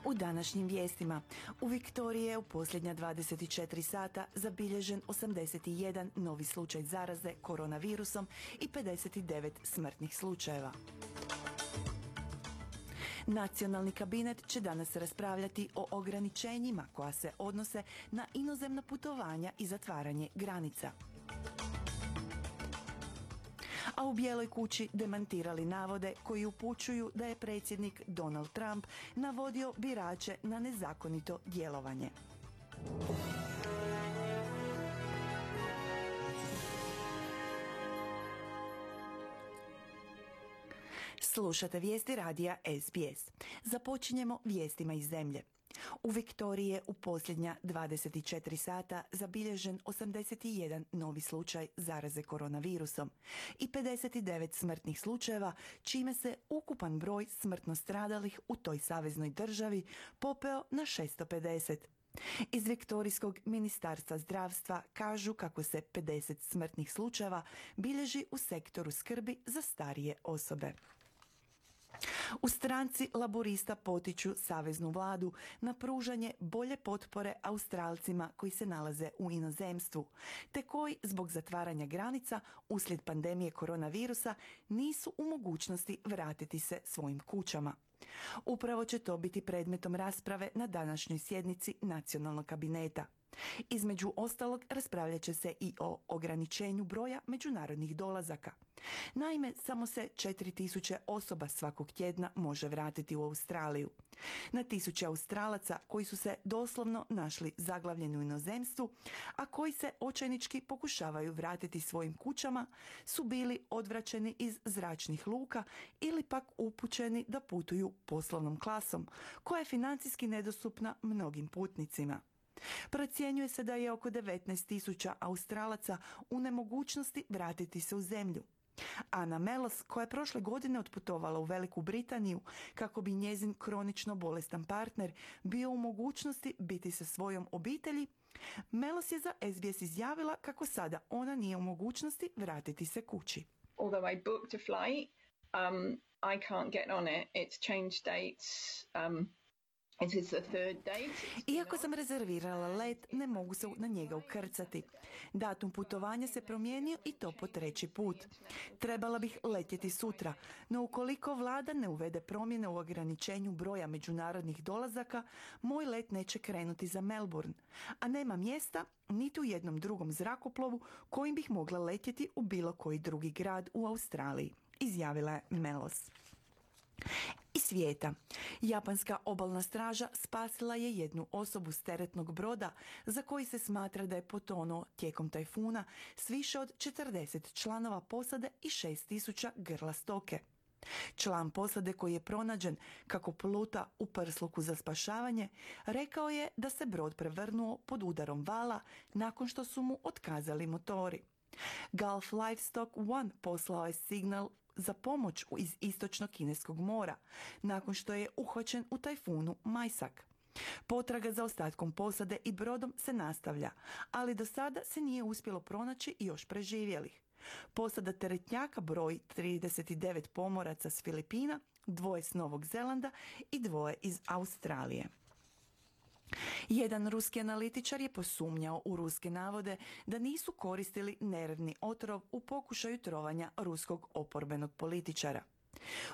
U današnjim vijestima u Viktoriji je u posljednja 24 sata zabilježen 81 novi slučaj zaraze koronavirusom i 59 smrtnih slučajeva. Nacionalni kabinet će danas raspravljati o ograničenjima koja se odnose na inozemna putovanja i zatvaranje granica. A u Bijeloj kući demantirali navode koji upućuju da je predsjednik Donald Trump navodio birače na nezakonito djelovanje. Slušate vijesti radija SBS. Započinjemo vijestima iz zemlje. U Viktoriji je u posljednja 24 sata zabilježen 81 novi slučaj zaraze koronavirusom i 59 smrtnih slučajeva, čime se ukupan broj smrtno stradalih u toj saveznoj državi popeo na 650. Iz Viktorijskog ministarstva zdravstva kažu kako se 50 smrtnih slučajeva bilježi u sektoru skrbi za starije osobe. U stranci Laborista potiču saveznu vladu na pružanje bolje potpore Australcima koji se nalaze u inozemstvu, te koji zbog zatvaranja granica uslijed pandemije koronavirusa nisu u mogućnosti vratiti se svojim kućama. Upravo će to biti predmetom rasprave na današnjoj sjednici Nacionalnog kabineta. Između ostalog raspravljat će se i o ograničenju broja međunarodnih dolazaka. Naime, samo se 4000 osoba svakog tjedna može vratiti u Australiju. Na tisuće Australaca koji su se doslovno našli zaglavljeni u inozemstvu, a koji se očajnički pokušavaju vratiti svojim kućama, su bili odvraćeni iz zračnih luka ili pak upućeni da putuju poslovnom klasom, koja je financijski nedostupna mnogim putnicima. Procjenjuje se da je oko 19.000 Australaca u nemogućnosti vratiti se u zemlju. Anna Melos, koja je prošle godine otputovala u Veliku Britaniju kako bi njezin kronično bolestan partner bio u mogućnosti biti sa svojom obitelji, Melos je za SBS izjavila kako sada ona nije u mogućnosti vratiti se kući. Although I booked a flight, I can't get on it. It's changed dates. Iako sam rezervirala let, ne mogu se na njega ukrcati. Datum putovanja se promijenio i to po 3. put. Trebala bih letjeti sutra, no ukoliko vlada ne uvede promjene u ograničenju broja međunarodnih dolazaka, moj let neće krenuti za Melbourne, a nema mjesta niti u jednom drugom zrakoplovu kojim bih mogla letjeti u bilo koji drugi grad u Australiji, izjavila je Melos. Iz svijeta. Japanska obalna straža spasila je jednu osobu s teretnog broda za koji se smatra da je potonuo tijekom tajfuna s više od 40 članova posade i 6.000 grla stoke. Član posade koji je pronađen kako pluta u prsluku za spašavanje rekao je da se brod prevrnuo pod udarom vala nakon što su mu otkazali motori. Gulf Livestock One poslao je signal za pomoć iz istočnog Kineskog mora, nakon što je uhvaćen u tajfunu Majsak. Potraga za ostatkom posade i brodom se nastavlja, ali do sada se nije uspjelo pronaći još preživjelih. Posada teretnjaka broji 39 pomoraca s Filipina, 2 s Novog Zelanda i 2 iz Australije. Jedan ruski analitičar je posumnjao u ruske navode da nisu koristili nervni otrov u pokušaju trovanja ruskog oporbenog političara.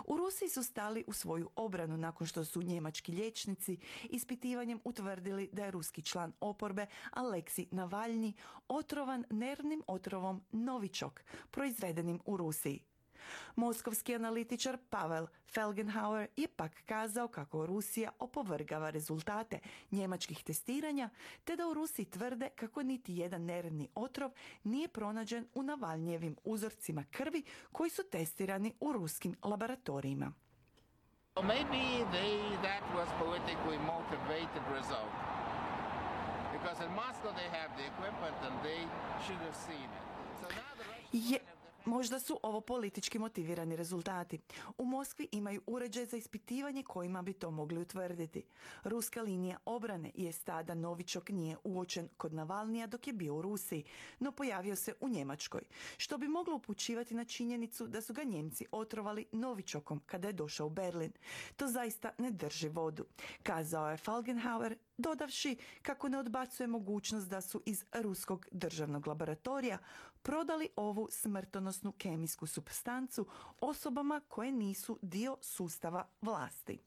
U Rusiji su stali u svoju obranu nakon što su njemački liječnici ispitivanjem utvrdili da je ruski član oporbe Aleksij Navalnji otrovan nervnim otrovom Novichok, proizvedenim u Rusiji. Moskovski analitičar Pavel Felgenhauer je pak kazao kako Rusija opovrgava rezultate njemačkih testiranja, te da u Rusiji tvrde kako niti jedan nervni otrov nije pronađen u Navalnjevim uzorcima krvi koji su testirani u ruskim laboratorijima. Maybe that was politically motivated result. Because in Moscow they have the equipment and they should have seen it. So now the Russians Možda su ovo politički motivirani rezultati. U Moskvi imaju uređaj za ispitivanje kojima bi to mogli utvrditi. Ruska linija obrane je tada Novičok nije uočen kod Navalnija dok je bio u Rusiji, no pojavio se u Njemačkoj, što bi moglo upućivati na činjenicu da su ga Njemci otrovali Novičokom kada je došao u Berlin. To zaista ne drži vodu, kazao je Falkenhauer, dodavši kako ne odbacuje mogućnost da su iz ruskog državnog laboratorija prodali ovu smrtonosnu kemijsku supstancu osobama koje nisu dio sustava vlasti.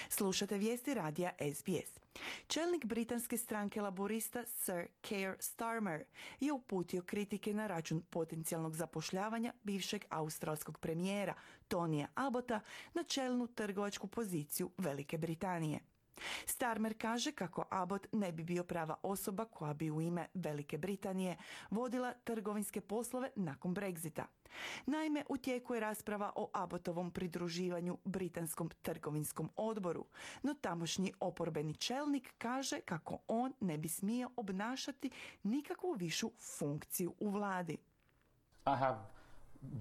Slušate vijesti radija SBS. Čelnik britanske stranke laborista Sir Keir Starmer je uputio kritike na račun potencijalnog zapošljavanja bivšeg australskog premijera Tonija Abbota na čelnu trgovačku poziciju Velike Britanije. Starmer kaže kako Abbott ne bi bio prava osoba koja bi u ime Velike Britanije vodila trgovinske poslove nakon Brexita. Naime, u tijeku je rasprava o Abbottovom pridruživanju Britanskom trgovinskom odboru, no tamošnji oporbeni čelnik kaže kako on ne bi smio obnašati nikakvu višu funkciju u vladi. I have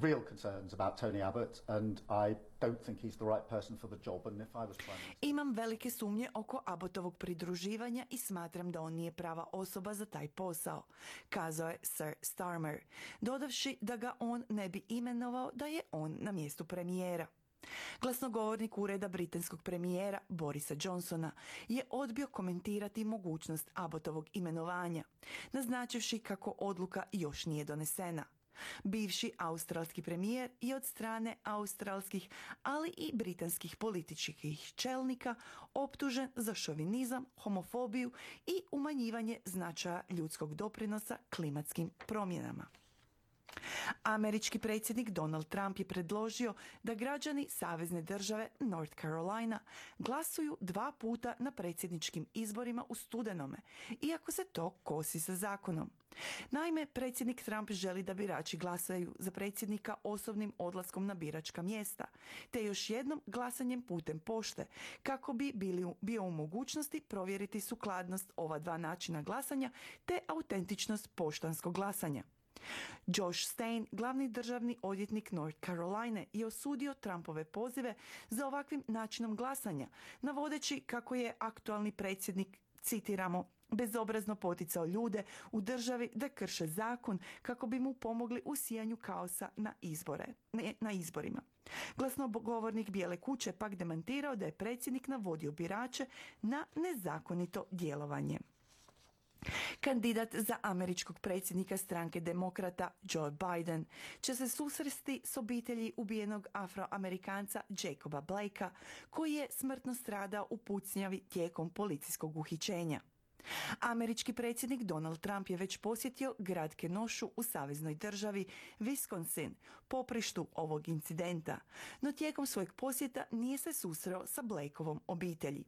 real concerns about Tony Abbott and I don't think he's the right person for the job and if I was Prime Minister. Imam velike sumnje oko Abbottovog pridruživanja i smatram da on nije prava osoba za taj posao, kazao je Sir Starmer, dodavši da ga on ne bi imenovao da je on na mjestu premijera. Glasnogovornik ureda britanskog premijera Borisa Johnsona je odbio komentirati mogućnost Abbottovog imenovanja, naznačivši kako odluka još nije donesena. Bivši australski premijer je od strane australskih, ali i britanskih političkih čelnika optužen za šovinizam, homofobiju i umanjivanje značaja ljudskog doprinosa klimatskim promjenama. Američki predsjednik Donald Trump je predložio da građani savezne države North Carolina glasuju 2 puta na predsjedničkim izborima u studenome, iako se to kosi sa zakonom. Naime, predsjednik Trump želi da birači glasaju za predsjednika osobnim odlaskom na biračka mjesta, te još jednom glasanjem putem pošte, kako bi bio u mogućnosti provjeriti sukladnost ova 2 načina glasanja te autentičnost poštanskog glasanja. Josh Stein, glavni državni odvjetnik North Caroline, je osudio Trumpove pozive za ovakvim načinom glasanja, navodeći kako je aktualni predsjednik, citiramo, bezobrazno poticao ljude u državi da krše zakon kako bi mu pomogli u sijanju kaosa na izborima. Glasnogovornik Bijele kuće pak demantirao da je predsjednik navodio birače na nezakonito djelovanje. Kandidat za američkog predsjednika stranke demokrata Joe Biden će se susresti s obitelji ubijenog Afroamerikanca Jacoba Blakea, koji je smrtno stradao u pucnjavi tijekom policijskog uhićenja. Američki predsjednik Donald Trump je već posjetio grad Kenosha u saveznoj državi Wisconsin, poprištu ovog incidenta, no tijekom svojeg posjeta nije se susreo sa Blakeovom obitelji.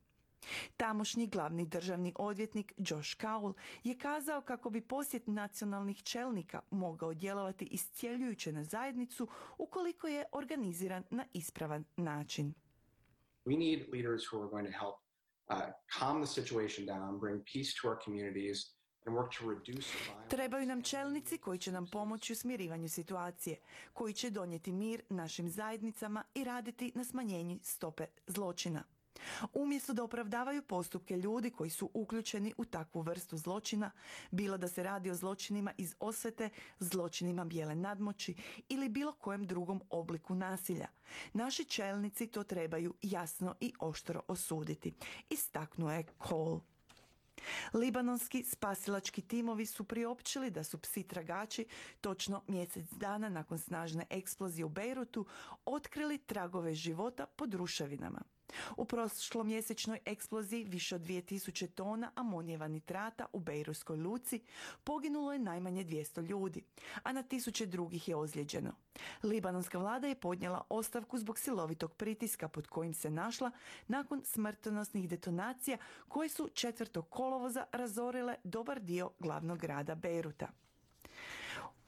Tamošnji glavni državni odvjetnik Josh Cowell je kazao kako bi posjet nacionalnih čelnika mogao djelovati iscjeljujuće na zajednicu ukoliko je organiziran na ispravan način. We need leaders who are going to help calm the situation down, bring peace to our communities and work to reduce violence. Trebaju nam čelnici koji će nam pomoći u smirivanju situacije, koji će donijeti mir našim zajednicama i raditi na smanjenju stope zločina. Umjesto da opravdavaju postupke ljudi koji su uključeni u takvu vrstu zločina, bilo da se radi o zločinima iz osvete, zločinima bijele nadmoći ili bilo kojem drugom obliku nasilja, naši čelnici to trebaju jasno i oštro osuditi, istaknuo je Cole. Libanonski spasilački timovi su priopćili da su psi tragači točno mjesec dana nakon snažne eksplozije u Bejrutu otkrili tragove života pod ruševinama. U prošlomjesečnoj eksploziji više od 2000 tona amonijeva nitrata u Bejrutskoj luci poginulo je najmanje 200 ljudi, a na tisuće drugih je ozlijeđeno. Libanonska vlada je podnijela ostavku zbog silovitog pritiska pod kojim se našla nakon smrtonosnih detonacija koje su 4. kolovoza razorile dobar dio glavnog grada Bejruta.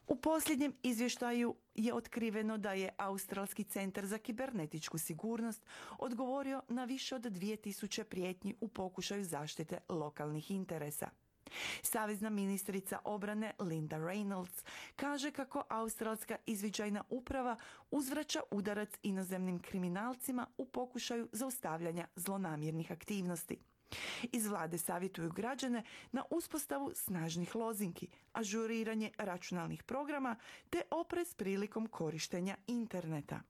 U posljednjem izvještaju je otkriveno da je Australski centar za kibernetičku sigurnost odgovorio na više od 2000 prijetnji u pokušaju zaštite lokalnih interesa. Savezna ministrica obrane Linda Reynolds kaže kako australska izviđajna uprava uzvraća udarac inozemnim kriminalcima u pokušaju zaustavljanja zlonamjernih aktivnosti. Iz vlade savjetuju građane na uspostavu snažnih lozinki, ažuriranje računalnih programa te oprez prilikom korištenja interneta.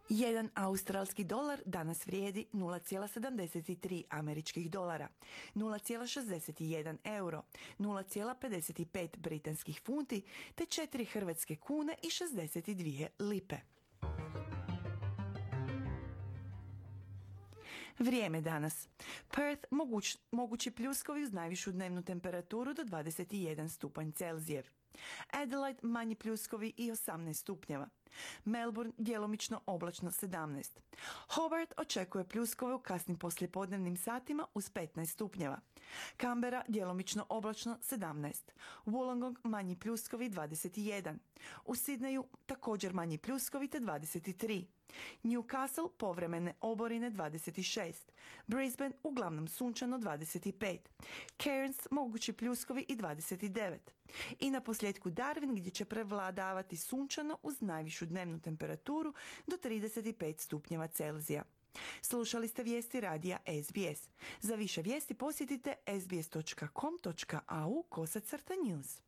Jedan australski dolar danas vrijedi 0,73 američkih dolara, 0,61 euro, 0,55 britanskih funti te 4 hrvatske kune i 62 lipe. Vrijeme danas. Perth mogući pljuskovi uz najvišu dnevnu temperaturu do 21 stupanj Celzijev. Adelaide manji pljuskovi i 18 stupnjeva. Melbourne djelomično oblačno 17. Hobart očekuje pljuskove u kasnim poslijepodnevnim satima uz 15 stupnjeva. Canberra djelomično oblačno 17. Wollongong manji pljuskovi 21. U Sidneju također manji pljuskovi te 23. Newcastle povremene oborine 26. Brisbane uglavnom sunčano 25. Cairns mogući pljuskovi i 29. I na posljedku Darwin gdje će prevladavati sunčano uz najvišu dnevnu temperaturu do 35 stupnjeva Celzija. Slušali ste vijesti radija SBS. Za više vijesti posjetite sbs.com.au/news.